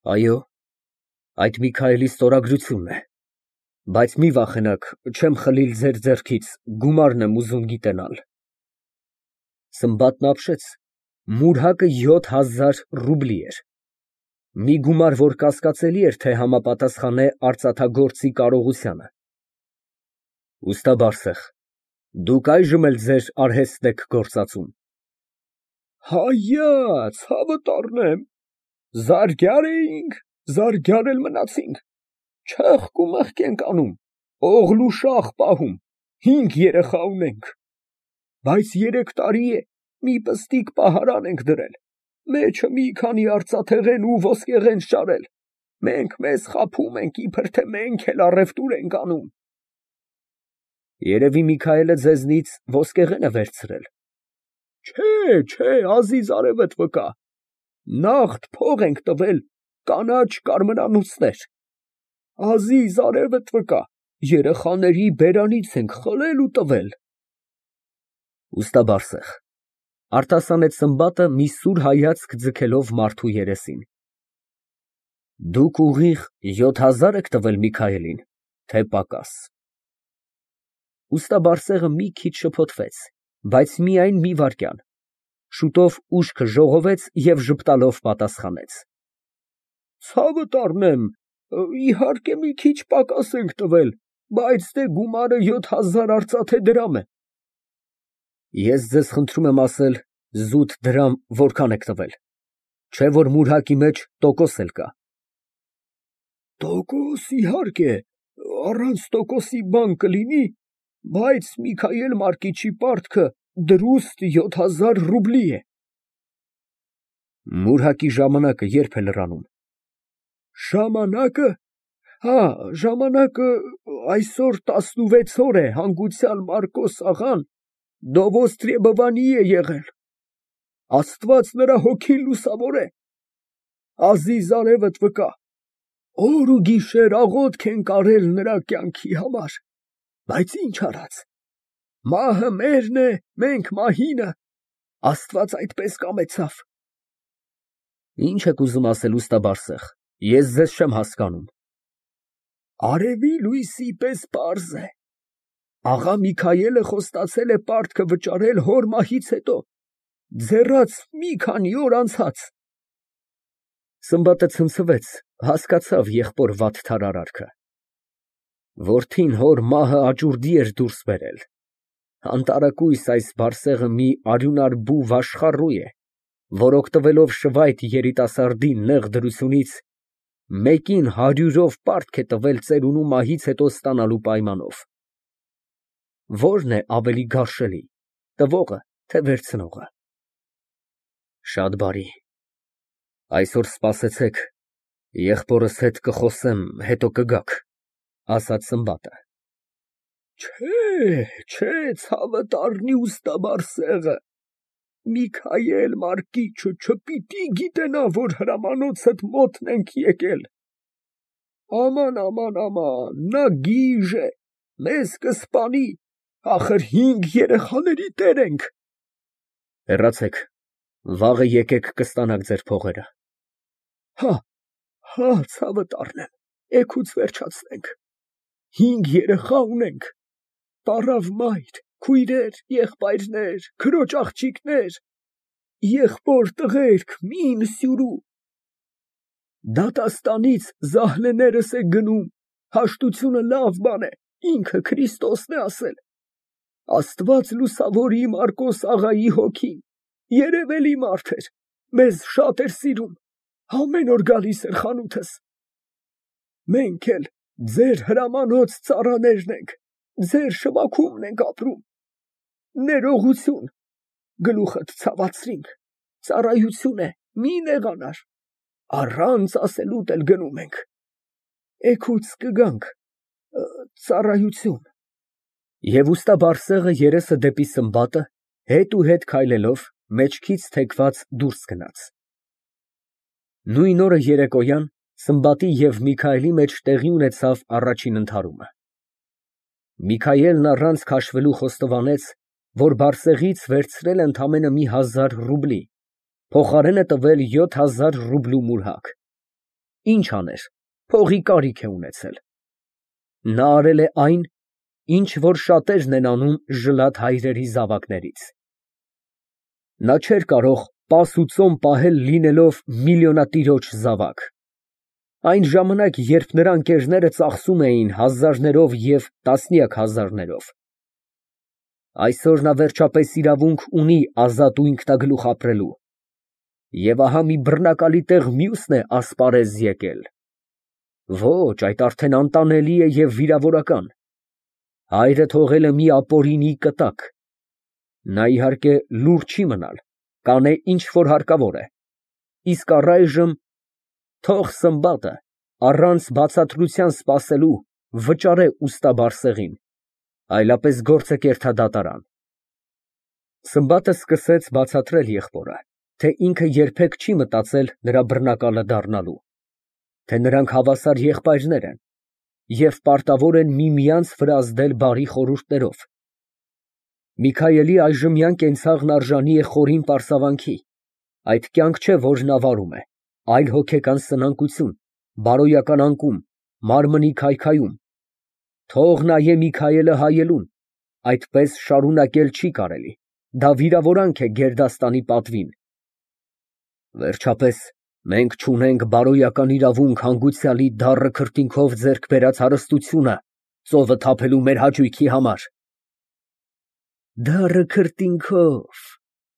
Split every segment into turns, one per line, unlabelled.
Այո, այդ Միքայելի ստորագրությունն է, բայց մի վախենաք, չեմ խլիլ ձեր ձեռքից, գումարն եմ ուզում գիտենալ։ Սմբատն ապշեց, մուրհակը 7000 ռուբլի էր, մի գումար, որ կասկածելի էր, թե համապատասխանե արծաթագործի կարողությանը։ Ուստա Բարսեղ, դուք այժմ էլ ձեր արհեստն եք գործածում։
Հայաց, հավտառնեմ, զարգյար էինք, զարգյար էլ մնացինք, չեղք ու մեղք ենք անում, օղլ ու շաղ պահում, 5 երեխա ունենք, բայց 3 տարի է մի պստիկ պահարան ենք դրել, մեջը մի քանի արծաթեղեն ու ոսկեղեն շարել, մենք մեզ խաբում ենք, իբր թե մենք էլ առևտուր ենք անում։
Երևի Միքայելը ձեզնից ոսկեղեն է վերցրել։
Չէ, ազիզ արևդ վկա, նաղդ փող ենք տվել, կանաչ կարմրանոցներ, ազիզ արևդ վկա, երեխաների բերանից ենք խլել ու տվել։
Ուստա Բարսեղ, արտասանեց Սմբատը մի սուր հայացք ձգելով մարդու երեսին։ Դուք ուղիղ 7000 եք տվել Միքայելին, թե պակաս։ Ուստա Բարսեղը մի քիչ շփոթվեց, բայց միայն մի վայրկյան, շուտով ուշքը ժողովեց և ժպտալով պատասխանեց.
Ցավդ առնեմ, իհարկե մի քիչ պակաս ենք տվել, բայց դե գումարը 7000 արծաթե դրամ է։
Ես ձեզ խնդրում եմ ասել զուտ դրամ որքան եք տվել, չէ՞ որ մուրհակի մեջ տոկոս էլ կա։
Տոկոս, իհարկե, առանց տոկոսի բան կլինի, բայց Միքայել Մարկիչի պարտքը դրուստ 7000 ռուբլի է։
Մուրհակի ժամանակը երբ է լրանում։
Ժամանակը, ժամանակը այսօր 16 օր է հանգուցյալ Մարկոս աղան Դովոստրեբովանի է եղել, Աստված նրա հոգին լուսավորե, ազիզ արևդ վկա, օր ու գիշեր աղոթք ենք արել նրա կյանքի համար, բայց ինչ արած, մահը մերն է, մենք մահինը, Աստված այդպես կամեցավ։
Ինչ եք ուզում ասել, ուստա Բարսեղ, ես ձեզ չեմ հասկանում։
Արևի լույսի պես պարզ է, աղա Միքայելը խոստացել է պարտքը վճարել հոր մահից հետո, ձեռած մի քանի օր անցած։
Սմբատը ցնցվեց, հասկացավ եղբոր վատթար արարքը։ Որդին հոր մահը աճուրդի էր դուրս բերել։ Անտարակույս այս Բարսեղը մի արյունարբու վաշխառու է, որ օգտվելով շվայտ երիտասարդի նեղ դրությունից, մեկին 100-ով պարտք է տվել ծերունու մահից հետո ստանալու պայմանով։ Ո՞րն է ավելի գարշելի, տվողը, թե վերցնողը։ Շատ բարի, այսօր սպասեցեք, եղբորս հետ կխոսեմ, հետո կգաք, ասաց Սմբատը։
Չէ, ցավդ առնի ուստա Բարսեղը, Միքայել Մարկիչը չպիտի գիտենա, որ հրամանոցդ մոտն ենք եկել։ Աման, նա գիժ է, մեզ կսպանի, ախր 5 երեխաների տեր ենք։
Հեռացեք, վաղը եկեք կստանաք ձեր փողերը։
Ցավդ առնեմ, էգուց վերջացնենք, 5 երեխա ունենք, պառավ մայր, քույրեր, եղբայրներ, քրոջ աղջիկներ, եղբոր տղերք, մին սյուրու։ Դատաստանից զահլեներս է գնում, հաշտությունը լավ բան է, ինքը Քրիստոսն է ասել, Աստված լուսավորի Մարկոս աղայի հոգին, երևելի մարդ էր, մեզ շատ էր սիրում, ամեն օր գալիս էր խանութս։ Մենք էլ ձեր հրամանոց ծառաներն ենք, ձեր շվաքումն ենք ապրում, ներողություն, գլուխդ ցավացրինք, ծառայություն է, մի նեղանար, առանց ասելուտ էլ գնում ենք, էգուց կգանք, ծառայություն։
Եվ ուստա Բարսեղը երեսը դեպի Սմբատը, հետ ու հետ քայլելով, մեջքից թեքված դուրս գնաց։ Նույն օրը երեկոյան Սմբատի և Միքայելի մեջ տեղի ունեցավ առաջին ընդհարումը։ Միքայելն առանց քաշվելու խոստովանեց, որ Բարսեղից վերցրել է ընդամենը մի 1000 ռուբլի, փոխարենը տվել 7000 ռուբլու մուրհակ։ ինչ աներ, փողի կարիք է ունեցել։ Նա արել է այն, ինչ որ շատերն են անում ժլատ հայրերի զավակներից։ Նա չէր կարող պաս ու ծոմ պահել լինելով միլիոնատիրոջ զավակ։ Այն ժամանակ, երբ նրա ընկերները ծախսում էին հազարներով և տասնյակ հազարներով։ Այսօր նա վերջապես իրավունք ունի ազատ ու ինքնագլուխ ապրելու։ Եվ ահա մի բռնակալի տեղ մյուսն է ասպարեզ եկել։ Ոչ, այդ արդեն անտանելի է և վիրավորական։ Հայրը թողել է մի ապօրինի կտակ։ Նա իհարկե լուռ չի մնալ, կանե ինչ որ հարկավոր է։ Իսկ առայժմ թող Սմբատը առանց բացատրության սպասելու վճարե ուստաբարձեղին, այլապես գործը կերթա դատարան։ Սմբատը սկսեց բացատրել եղբորը, թե ինքը երբեք չի մտածել նրա բռնակալը դառնալու, թե նրանք հավասար եղբայրներ են և պարտավոր են միմյանց վրա ազդել բարի խորհուրդներով։ Միքայելի այժմյան կենցաղն արժանի է խորին պարսավանքի, այդ կյանք չէ, որ նա վարում է, այլ հոգեկան սնանկություն, բարոյական անկում, մարմնի քայքայում։ Թող նայե Միքայելը հայելուն, այդպես շարունակել չի կարելի, դա վիրավորանք է գերդաստանի պատվին։ Վերջապես, մենք չունենք բարոյական իրավունք հանգուցյալի դառը քրտինքով ձեռք բերած հարստությունը ծովը թափելու մեր հաճույքի համար։ Դառը քրտինքով,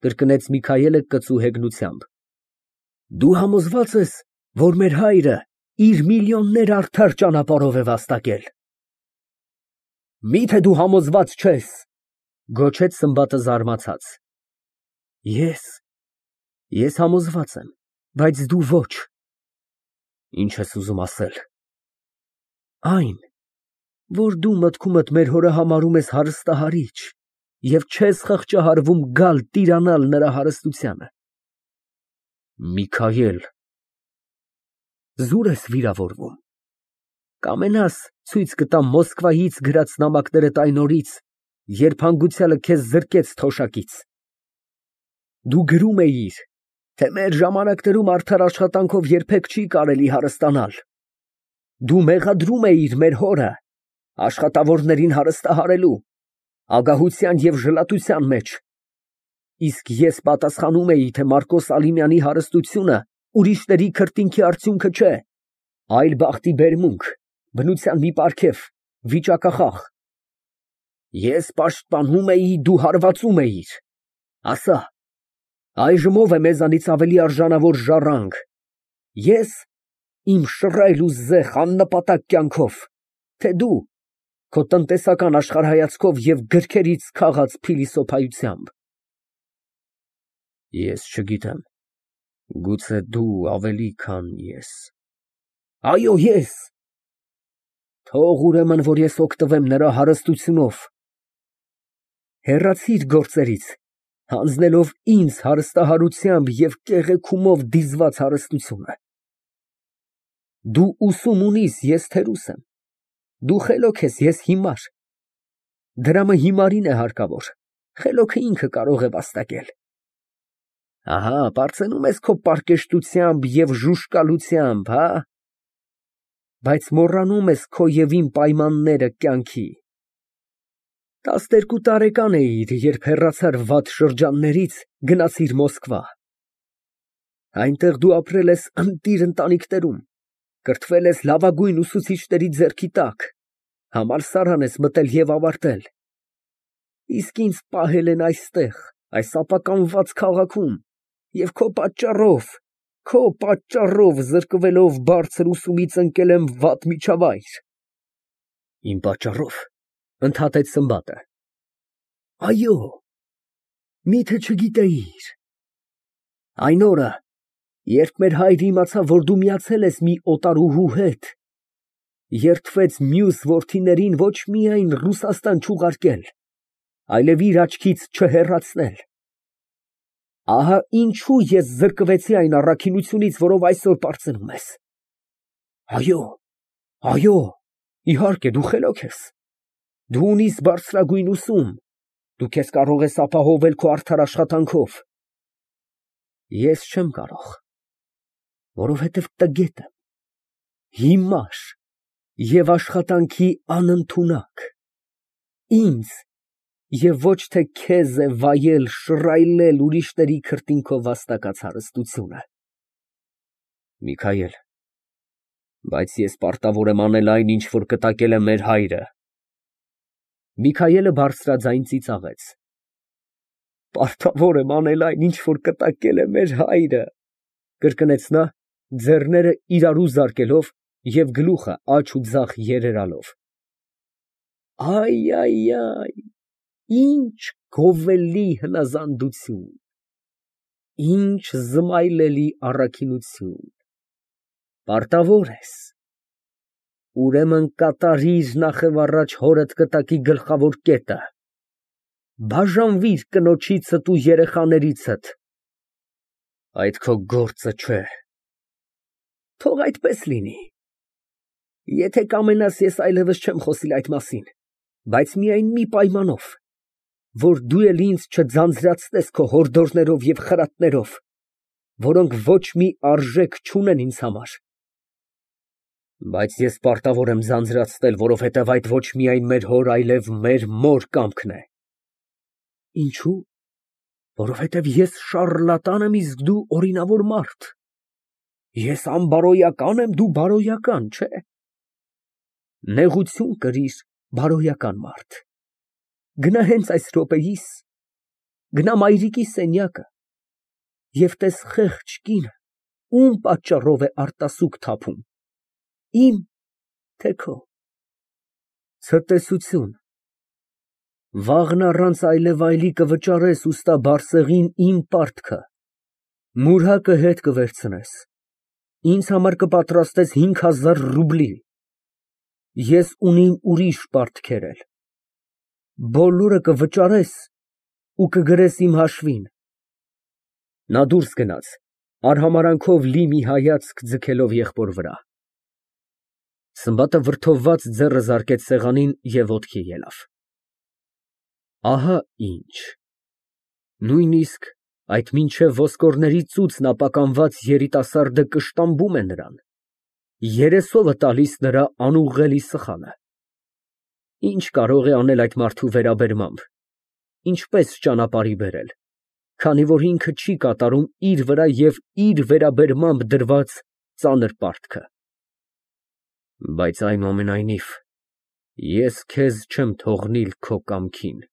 կրկնեց Միքայելը կծու հեգնությամբ։ Դու համոզված ես, որ մեր հայրը իր միլիոնները արդար ճանապարհով է վաստակել։ Մի՞թե դու համոզված չես, գոչեց Սմբատը զարմացած։ Ես համոզված եմ, բայց դու ոչ։ Ինչ ես ուզում ասել։ Այն, որ դու մտքումդ մեր հորը համարում ես հարստահարիչ և չես խղճահարվում գալ տիրանալ նրա հարստությանը։ Միքայել, զուր ես վիրավորվում։ Կամենաս ցույց կտամ Մոսկվայից գրած նամակներդ այն օրից, երբ հանգուցյալը քեզ զրկեց թոշակից։ Դու գրում էիր, թե մեր ժամանակներում արդար աշխատանքով երբեք չի կարելի հարստանալ։ Դու մեղադրում էիր մեր հորը աշխատավորներին հարստահարելու, ագահության և ժլատության մեջ։ Իսկ ես պատասխանում էի, թե Մարկոս Ալիմյանի հարստությունը ուրիշների քրտինքի արդյունքը չէ, այլ բախտի բերմունք, բնության մի պարգև, վիճակախախ։ Ես պաշտպանում էի, դու հարվածում էիր։ Ասա, այժմ ով է մեզանից ավելի արժանավոր ժառանգ, ես իմ շռայլ ու զեխ աննպատակ կյանքով, թե դու քո տնտեսական աշխարհայացքով և գրքերից քաղած փիլիսոփայությամբ։ Ես չգիտեմ, գուցե դու ավելի, քան ես։ Այո, ես։ Թող ուրեմն, որ ես օգտվեմ նրա հարստությունով։ Հեռացիր գործերից, հանձնելով ինձ հարստահարությամբ և կեղեքումով դիզված հարստությունը։ Դու ուսում ունիս, ես թերուս եմ։ Դու խելոք ես, ես հիմար։ Դրամը հիմարին է հարկավոր, խելոքը ինքը կարող է վաստակել։ Ահա, պարծենում ես քո պարկեշտությամբ և ժուժկալությամբ, հա՞։ Բայց մոռանում ես քո և իմ պայմանները կյանքի։ 12 տարեկան էիր, երբ հեռացար վատ շրջաններից, գնացիր Մոսկվա։ Այնտեղ դու ապրել ես ընտիր ընտանիքներում, կրթվել ես լավագույն ուսուցիչների ձեռքի տակ, համալսարան ես մտել և ավարտել։ Իսկ ինձ պահել են այստեղ, այս ապականված քաղաքում, և քո պատճառով զրկվելով բարձր ուսումից ընկել եմ վատ միջավայր։ Իմ պատճառո՞վ, ընդհատեց Սմբատը։ Այո, միթե չգիտեիր։ Այն օրը, երբ մեր հայրը իմացավ, որ դու միացել ես մի օտարուհու հետ, երդվեց մյուս որդիներին ոչ միայն Ռուսաստան չուղարկել, այլև իր աչքից չհեռացնել։ Ահա ինչու ես զրկվեցի այն առաքինությունից, որով այսօր պարծենում ես։ Այո, իհարկե, դու խելոք ես։ Դու ունիս բարձրագույն ուսում, դու քեզ կարող ես ապահովել քո արդար աշխատանքով։ Ես չեմ կարող, որովհետև տգետ եմ, հիմար և աշխատանքի անընդունակ, ինձ և ոչ թե քեզ է վայել, շռայլել ուրիշների քրտինքով վաստակած հարստությունը։ Միքայել, բայց ես պարտավոր եմ անել այն, ինչ որ կտակել է մեր հայրը։ Միքայելը բարձրաձայն ծիծաղեց։ Պարտավոր եմ անել այն, ինչ որ կտակել է մեր հայրը, կրկնեց նա, ձեռները իրարու զարկելով և գլուխը աջ ու ձախ երերալով։ Այ, ինչ գովելի հնազանդություն, ինչ զմայլելի առաքինություն, պարտավոր ես, ուրեմն կատարիր նախևառաջ հորդ կտակի գլխավոր կետը, բաժանվիր կնոջիցդ ու երեխաներիցդ, այդ քո գործը չէ։ Թող այդպես լինի, եթե կամենաս, ես այլևս չեմ խոսիլ այդ մասին, բայց միայն մի պայմանով, որ դու էլ ինձ չձանձրացնես քո հորդորներով և խրատներով, որոնք ոչ մի արժեք չունեն ինձ համար։ Բայց ես պարտավոր եմ ձանձրացնել, որովհետև այդ ոչ միայն մեր հոր, այլև մեր մոր կամքն է։ Ինչո՞ւ։ Որովհետև ես շառլատան եմ, իսկ դու օրինավոր մարդ։ Ես անբարոյական եմ, դու բարոյական, չէ՞։ Նեղություն կրիր, բարոյական մարդ։ Գնա հենց այս րոպեիս, գնա մայրիկի սենյակը և տես խեղճ կինը, ում պատճառով է արտասուք թափում, իմ, թե քո։ Ցտեսություն, վաղն առանց այլևայլի կվճարես ուստա բարսեղին իմ պարտքը, մուրհակը հետ կվերցնես, ինձ համար կպատրաստես 5000 ռուբլի, ես ունիմ ուրիշ պարտքեր էլ, բոլորը կվճարես ու կգրես իմ հաշվին։ Նա դուրս գնաց, արհամարանքով լի մի հայացք ձգելով եղբոր վրա։ Սմբատը վրդովված ձեռը զարկեց սեղանին և ոտքի ելավ։ Ահա ինչ, նույնիսկ այդ մինչև ոսկորների ծուծն ապականված երիտասարդը կշտամբում է նրան, երեսովը տալիս նրա անուղղելի սխալը։ Ինչ կարող է անել այդ մարդու վերաբերմամբ, ինչպես ճանապարհի բերել, քանի որ ինքը չի կատարում իր վրա և իր վերաբերմամբ դրված ծանր պարտքը։ Բայց այնուամենայնիվ, ես քեզ չեմ թողնիլ քո կամքին,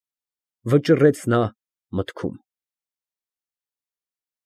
վճռեց նա մտքում։